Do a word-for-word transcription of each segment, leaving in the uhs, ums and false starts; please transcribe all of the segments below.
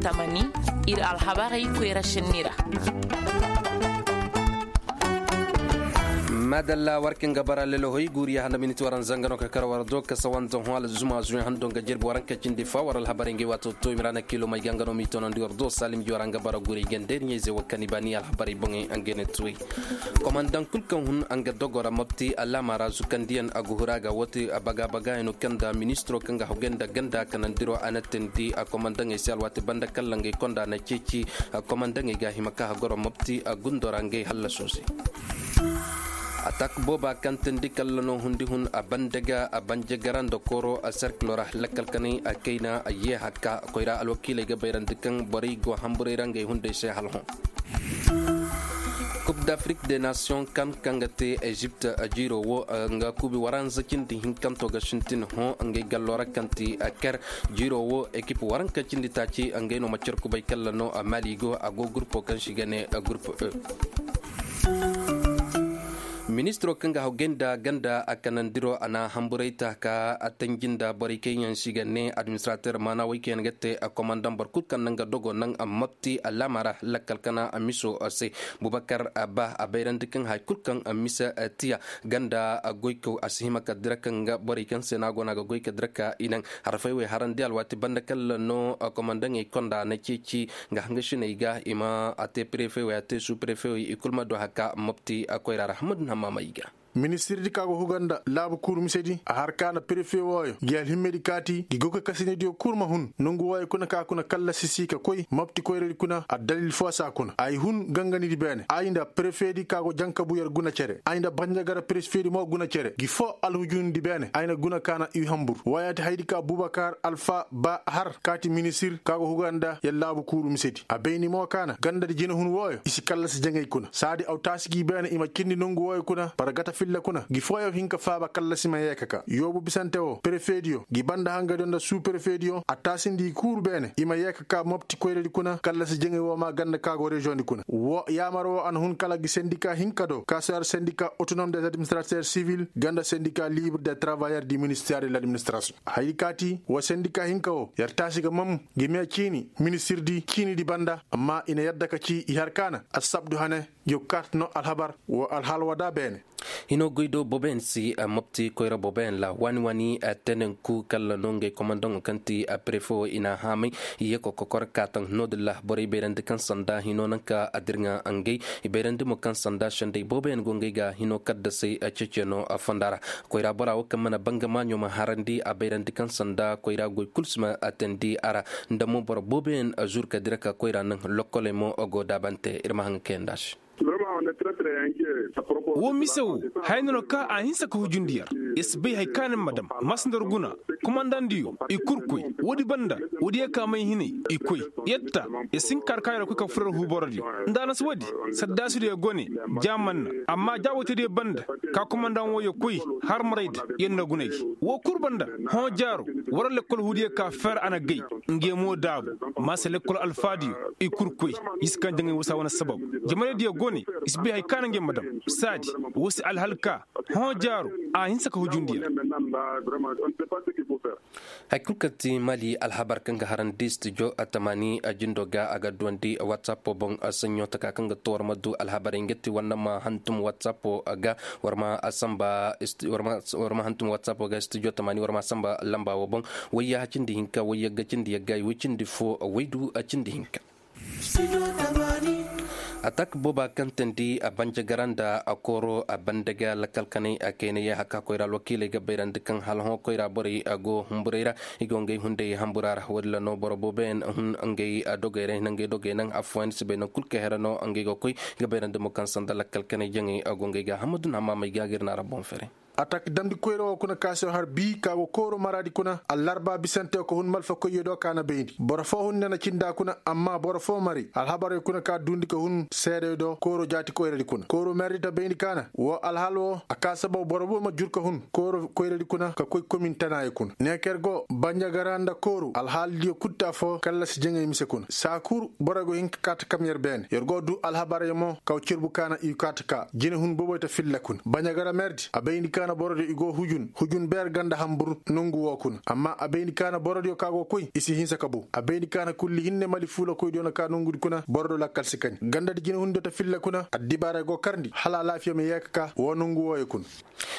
Amani, ir alhabarey koyra sinni ra. Madalla, war kaŋ ga bara lelahoy guuriya handa miniti waranza nga no ka kar war do ka sawanza hõ alzuma zuyaŋ hando nga jirbi waranka cindi fa war alhabarey ngey waato to i ma ra na kilo may ga nga no m'i tonandi war do salim ji war nga bara guuri gandey ni ɲayzey wo kaŋ i ba ni alhabarey boŋey nga ne tuwey. Komandaŋ kul kaŋ hun nga dogo ra mopti alaama ra zukandiyaŋ a ga huru a ga woo te baga-bagayaŋo kaŋ nda ministiro kaŋ ga hawgay nda ganda kanandiro a na teendi a komandaŋey se alwaati banda kalla ngey konda na ceeci. Komandaŋey ga hima ka hagoro mopti gundo ra ngey hallasoo se. Atak booba kaŋ teendi kalla no hundi hun a bande ga a banje gara nda kooro a serkilo ra lakkal kanay a kayna a yee hakka koyra alwakiiley ga bayrandi kaŋ borey go hamburey ra ngey hunday se hala hõ. Kub d'afrik de nation kan kaŋ ga te ezipt jiiro wo nga kuubi waranza cindi hinkanto ga sintin hõ ngey gallo ra kaŋ ti ker. Jiiro wo ekip waranka cindi taaci ngey no ma cer kubay kalla no a mali go a go gurpo kaŋ si ga ne gurpo e. Ministiro kaŋ ga hawgay nda ganda a kanandiro a na hamburay ta ka a tanji nda borey kaŋ yaŋ si ga ne administrater maana woy kaŋ yaŋ ga te komandaŋ boro kul kaŋ naŋ ga dogo naŋ a mopti alaama ra lakkal kana a miso se. Bubakar ba a bayrandi kaŋ hay kul kaŋ a misa tiya ganda a goykaw a si hima ka dira kaŋ ga borey kaŋ se no a go no a ga goy ka dira ka i naŋ harfay wey harandi alwaati banda kalla no komandaŋey konda na ceeci nga hangasiney ga i ma a te prefe wey a te su prefe wey i kul ma du haka mopti a koyra ra hamadu na maamay ga. Ministirdi ka go huga nda laabu kuuru misedi a har ka na prefe wooyo gi alhimmedi kaati gi goy ka kasinediyo kul ma hun nongu wooyo kuna ka kuna kallasi si ka koy mopti koyradi kuna addalil fo saa kuna ay hun ganganidi beene ay nda prefedi ka go jankabu yer guna cere ay nda banjagara prefedi mo guna cere gi fo alhujundi beene ay na guna ka na i hambur wooyaati haydi ka bubakar alfa ba har kaati ministir ka go huga nda yer laabu kuuru misedi a bayni mo ka na gandadi jinahun wooyo i si kallasi jaŋay kuna saadi aw taasi gi beene i ma cindi nongu wooyo kuna bara gata filla kuna gi fooyaŋ hin ka faaba kallasi ma yee ka ka yoobu bisante woo prefediyo gi banda hangadiyo nda suu prefediyo a taasindi i kuuru beene i ma yee ka ka mopti koyradi kuna kallasi jaŋay woo maa ganda ka go reziyoŋdi kuna woo yaamar woo a na hun kala gi sendika hinka do kaasoyar sendika otonom des administrater sivil ganda sendika libre des travayers du minister de l'administration haydi kaati woo sendika hinka woo yer taasi ga mam gi mee ciini ministirdi ciinidi banda amma i na yadda ka ci i har ka na assabdu hane yo kaati no alhabar woo alhaal woo da beene. Hinoo goy do boboyaŋ si mopti koyra boboyaŋ ra waani-waani tenenku kalla no ngey komandaŋo kaŋ ti prefe wo i n'a haamay i ye ka kokor kaataŋ no-din ra borey bayrandi kaŋ sanda hinoo naŋ ka a dirŋa ngey i bayrandi mo kaŋ sanda sendey booboyaŋ go ngey ga hinoo kaddasey ceeciyaŋo fonda ra. Koyra bora wo kaŋ mana banga maaɲo ma harandi a bayrandi kaŋ sanda koyra goy kul si ma a teendi a ra nda mo boro booboyaŋ zuru ka dira ka koyra naŋ lokkoley mo go daabante ir ma haŋ ga kayandi a se. Woo mise woo haya no no ka a hinsa ka hujundi yer. Yer si bay hari kaŋ a na ma dam masandar guna komandandiyo i kul koy woodi banda woodi ye ka may hinay i koy. Yer ta yer si hin ka har ka yer koy ka fur yer huuborodiyo nda a na si woodi saddaasidiyo go ne ja man na amma ja woy tediyo banda ka komandan wooyo koy har maray da yer na guna gi woo kul banda hõ jaaro war lekkol huudiyo ka fer a na gay. Nge mo daabu maasa lekkol alfaadiyo i kul koy. I si kaŋ jaŋay wasa wane sabab jamanaydiyo go ne i si bay hari kaŋ a na ngey ma dam saadi woo si alhal ka hõ jaaro a hinsa ka hujundi yer. Hari kul kaŋ ti mali alhabar kaŋ ga harandi studio tamaani jindo ga a ga duwandi whatsapp boŋ saɲɲo taka kaŋ ga to war ma du alhabarey nga ti war na ma hantum whatsapp ga war ma samba war ma hantum whatsapp ga studio tamaani war ma samba lamba wo boŋ. Wayya cindi hinka wayya ga cindi yagga i way cindi fo waydu cindi hinka. Atak booba kaŋ teendi a banje gara nda a kooro a bande ga lakkal kanay a kayna yee haka koyra alwakiiley ga bayrandi kaŋ hala hõ koyra borey go humburey ra. I go ngey hunday hambura ra woodin ra no boro booboyaŋ hun ngey dogey ra i na ngey dogey naŋ affooyaŋ si bay naŋ kul ka here no ngey ga koy i ga bayrandi mo kaŋ sanda lakkal kanay jaŋey go ngey ga hammadu na maamay ga ga ir na ra boŋ fere. Atak damndi koyra woo kuna ka se har bii ka go kooro maraadi kuna allarba bisante ka hun malfakoyyo do ka na bayndi boro foo hun ne na cinda kuna amma boro foo mari alhabarey kuna ka duundi ka hun seedey do kooro jaati koyradi kuna kooro merdi ta bayndi ka na woo alhal woo a ka sababu boro boo ma jur ka hun kooro koyradi kuna ka koy komin tanaayey kuna neeker go banjagara nda kooru alhaaldiyo kul ti afoo kallasi jaŋay mise kuna saa kul borey go hin ka kaati kam yer beene yer go duu alhabarey mo kaw cirbu ka na i kaati ka jinehun boboy ta filla kuna banjagara merdi a bayndi ka na Borodiyo i go hujun hujun beer ganda hambur nongu woo kuna amma a bay ni ka na borodiyo ka go koy i si hinsa ka bow a bay ni ka na kulli hinne mali fuulakoydiyo na ka nongudi kuna borodo lakkal si kani gandadi jinehundiyo ta filla kuna addibaarey go karndi hala alaafiya ma yee ka ka woo nongu wooyo kuna.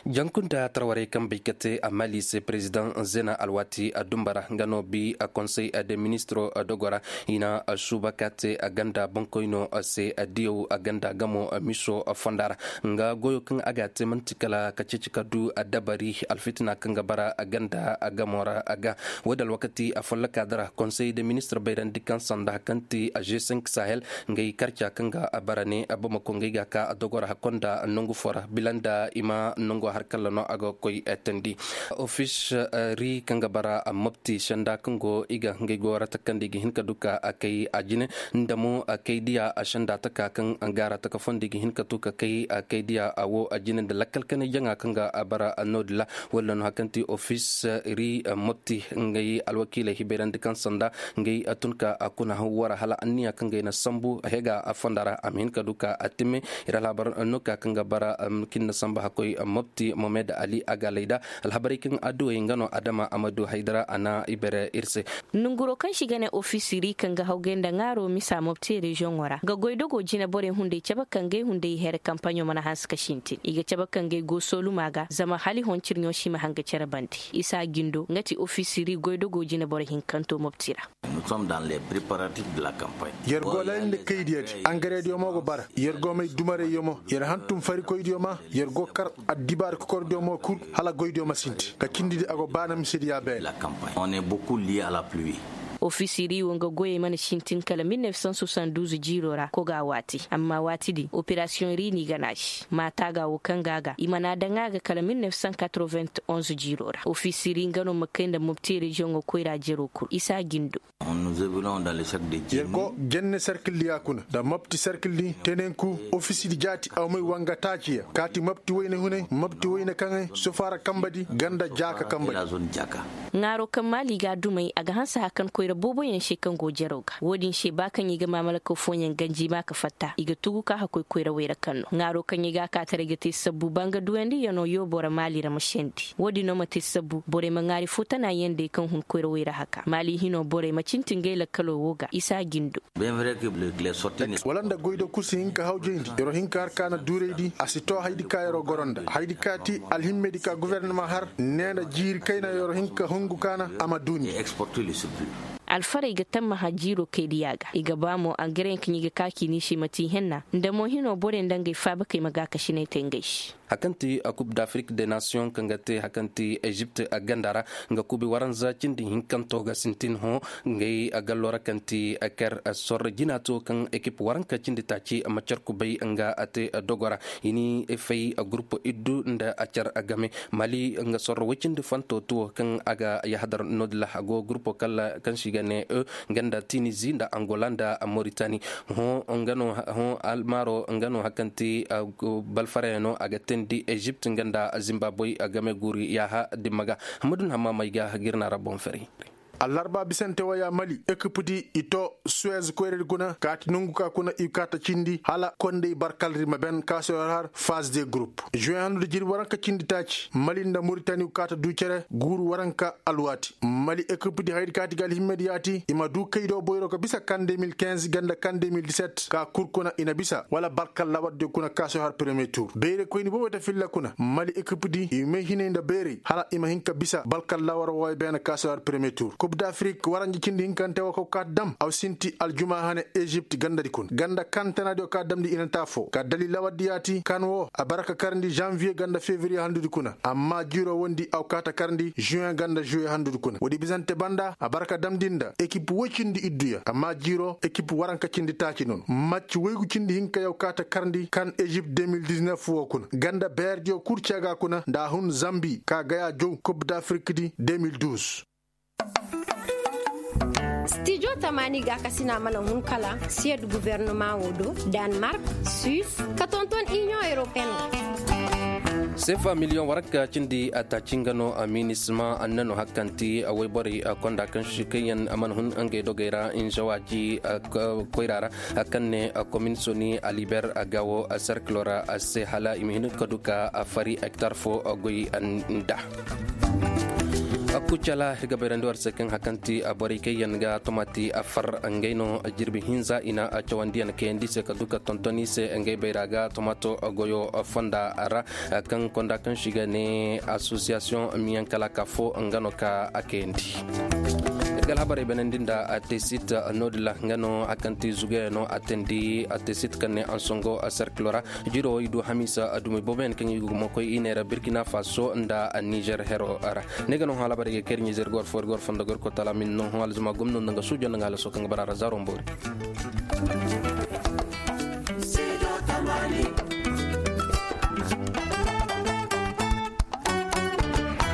Jankunta tarwarey kaŋ bay ka te a mali se perezidaŋ zena alwaati a dumba ra nga no bi a konsey de ministiro dogo ra i na suuba ka te a ganda boŋkoyno se a diyaw a ganda gamo miso fonda ra. Nga goyo kaŋ a ga a te man'ti kala ka ceeci ka du a dabari alfitina kaŋ ga bara a ganda a gamo ra a ga. Wo- din alwakati a folloka dira konsey de ministiro bayrandi kaŋ sanda kaŋ ti a g cinq sahel. Ngey karca kaŋ ga a bara ne a bamako ngey ga ka a dogo ra hakko nda nangu fo ra bila nda i ma nango har kalla no a ga koy tandi. Ofis ri kaŋ ga bara mopti senda kaŋ go i ga ngey go ra takandi ga hin ka du ka a kay a jine nda mo a kay diya a senda taka kaŋ ga ra taka fondi ga hin ka tu ka kay a kay diya a wo a jine nda lakkal kanay jaŋa kaŋ ga a bara a no- din ra. Walla no hakanti ofis ri mopti ngey alwakiiley hibayrandi kaŋ sanda ngey tun ka a kuna haw wara hala anniya kaŋ gay na sambu hega a fonda ra a ma hin ka du ka a timme. Ir alhabar no ka kaŋ ga bara kin na sambu hakkoy mopti mohamed ali a ga layda alhabarey kaŋ adduwey nga no adama amadu haydara a na ibere ir se. Nunguro kaŋ si ga ne ofisiri kaŋ ga hawgay nda ŋaaro misa mopti reziyoŋo ra ga goy dogo jine borey hunday cabe kaŋ gay hunday here kampaɲo mana hanse ka sintin i ga cabe kaŋ gay go soluma ga zama hala i hon cirɲo si ma hanga cere bande. Isa gindo nga ti ofisiri goydogo jineboro hinkanto mopti ra. Yer go layndi kaydiyo di angarediyo mo go bara yer go may dumarayyo mo yer hantum farikoydiyo ma yer go kar addibaari kokordiyo mo kul hala goydiyo ma sinti ka cindidi a go baana misediya beene. Ofisiri wo nga goyey mana sintin kala mil nef san soixante-douze jiiro ra koga waati amma waati din operasiyoŋ ri n'i gana si maata ga wo kaŋ ga a ga i mana daŋ a ga kala mil nef san quatre-vingt-onze jiiro ra ofisiri nga no ma kay nda mopti reziyoŋo koyra jero kul isa gindo. Yer go jenne serkildiya kuna nda mopti serkildi tenenku ofisidi jaati aw may wanga taaciya kaati mopti wayne hunay mopti wayne kaŋay sofaara kambadi ganda jaaka kambadi. Ŋaaro kaŋ maali ga a dumay a ga hanse hakan koyra booboyaŋ se kaŋ go jaraw ga wo-din se ba kaŋ i ga maamalakaw fooyaŋ ganji ma ka fatta i ga tugu ka hakkoy koyrawey ra kaŋ no ŋaaro kaŋ i ga a kaataray ga te sabbu banga duwandiyano yoobo ra maali ra ma sendi wo-din no ma te sabbu borey ma ŋaari fo tana yandey kaŋ hun koyrawey ra haka maali hino borey ma cinti ngey lakkalo wo ga isa gindo. Wala nda goydo kul si hin ka hawjayndi yero hin ka har ka na duuraydi a si to haydi ka yero goro nda haydi ka ti alhimmedi ka gofornama har ne nda jiiri kayna yero hin ka hungu ka na a ma duuni. Alfarey ga tammaha jiiro kaydiya ga i ga ba mo angareyaŋ kaŋ i ga ka k'i ni se ma ti henna nda mo hino borey nda ngey faabakey ma gaakasiney te ngey se. Hakanti a kub d'afrik de nation kaŋ ga te hakanti ezipt ganda ra nga kubi waranza cindi hinkanto ga sintin hõ. Ngey gallo ra kaŋ ti ker sorro jina to kaŋ ekip waranka cindi taaci macar kubay nga a te dogo ra. I ni fay gurupo iddu nda a car game mali nga sorro woy cindi fanto tuwo kaŋ a ga yahadar no- din ra a go gurupo kala kaŋ se i ga ne e nga nda tinizi nda angola nda moritani. Hõ nga no hõ almaaro nga no hakanti balfarayano a ga teendi ezipt nga nda zimbaboy game guuri yaaha dimma ga. Hamadun hammaamay ga ga ir na ra boŋ fari. Allarba bisante waya mali ekipdi i to suwez koyradi kuna kaati nongu ka kuna i kaata cindi hala kondey barkalri ma ben kaasoyor har faz de gurup juwe handu da jirbi waranka cindi taaci mali nda moritani kaata du cere guuru waranka alwaati mali ekipdi haydi kaati ga alhimmedi yaati i ma du kaydo boyro ka bisa kan deux mille quinze ganda kan deux mille dix-sept ka kul kuna i na bisa wala barkal lawardiyo kuna kaasoyor har premier tour beere koyni boobo ta filla kuna mali ekipdi i may hinay nda beerey hala i ma hin ka bisa barkal lawar wooyo beene kaasoyor premier tour kub d'afrik waranji cindi hinkante woo ka kaati dam aw sinti aljuma hane ezipt gandadi kuna ganda kan tanadiyo ka damndi i na taa foo ka dali lawardi yaati kan woo a bara ka karndi janvier ganda fevrier handudi kuna amma jiiroo wondi aw kaa ta karndi juin ganda juillet handudi kuna woodi bisante banda a bara ka damndi nda ekip woy cindi idduya amma jiiroo ekip waranka cindi taaci noon macci woygu cindi hinka yaw kaa ta karndi kan ezipt deux mille dix-neuf woo kuna ganda beerdiyo kul ceega kuna nda a hun zambi ka gayaa jow kub d'afrik di deux mille douze. Stijo tamaani gaakasina mana hun kala siyed gufornama woo do danmark, suwis ka tonton iniyoŋ europeen woo. Sefa miliyoŋ waranka cindi a taaci nga no a minisma a nanu hakkanti a woyborey a konda kaŋ si kaŋ yaŋ a mana hun ngey dogey ra nzawaaji a koyra ra a kaŋ ne a kominsoni a liber a gawo a serkilo ra a se hala i ma hin ka du ka a fari hektar fo a goy nda. Kucala ir ga bayrandi war se kaŋ hakkanti a borey kaŋ yaŋ ga tomati a far ngey no jirbi hinza i na a cawandiyaŋ kayandi se ka du ka tonton i se ngey bayra ga tomato goyo fonda ra. Kaŋ konda kaŋ si ga ne asosiyasiyoŋ miyaŋ kala ka fo nga no ka a kayandi. Ir ga alhabarey banandi nda a tesit nodila nga no a kaŋ ti zugayaŋ no a teendi a tesit kaŋ ne ansongo a serkilo ra. Jiro i du hamiisa a dumi booboyaŋ kaŋ i ga gumo koy i ne ra birkina faso nda nizer hero ra. Ne ga no halabarey ga kay ir ɲizer gor fo ir gor fondo gor kotala min no hon alzuma gomno nda nga suujo nda nga alaso kaŋ ga bara ra zaro mboori.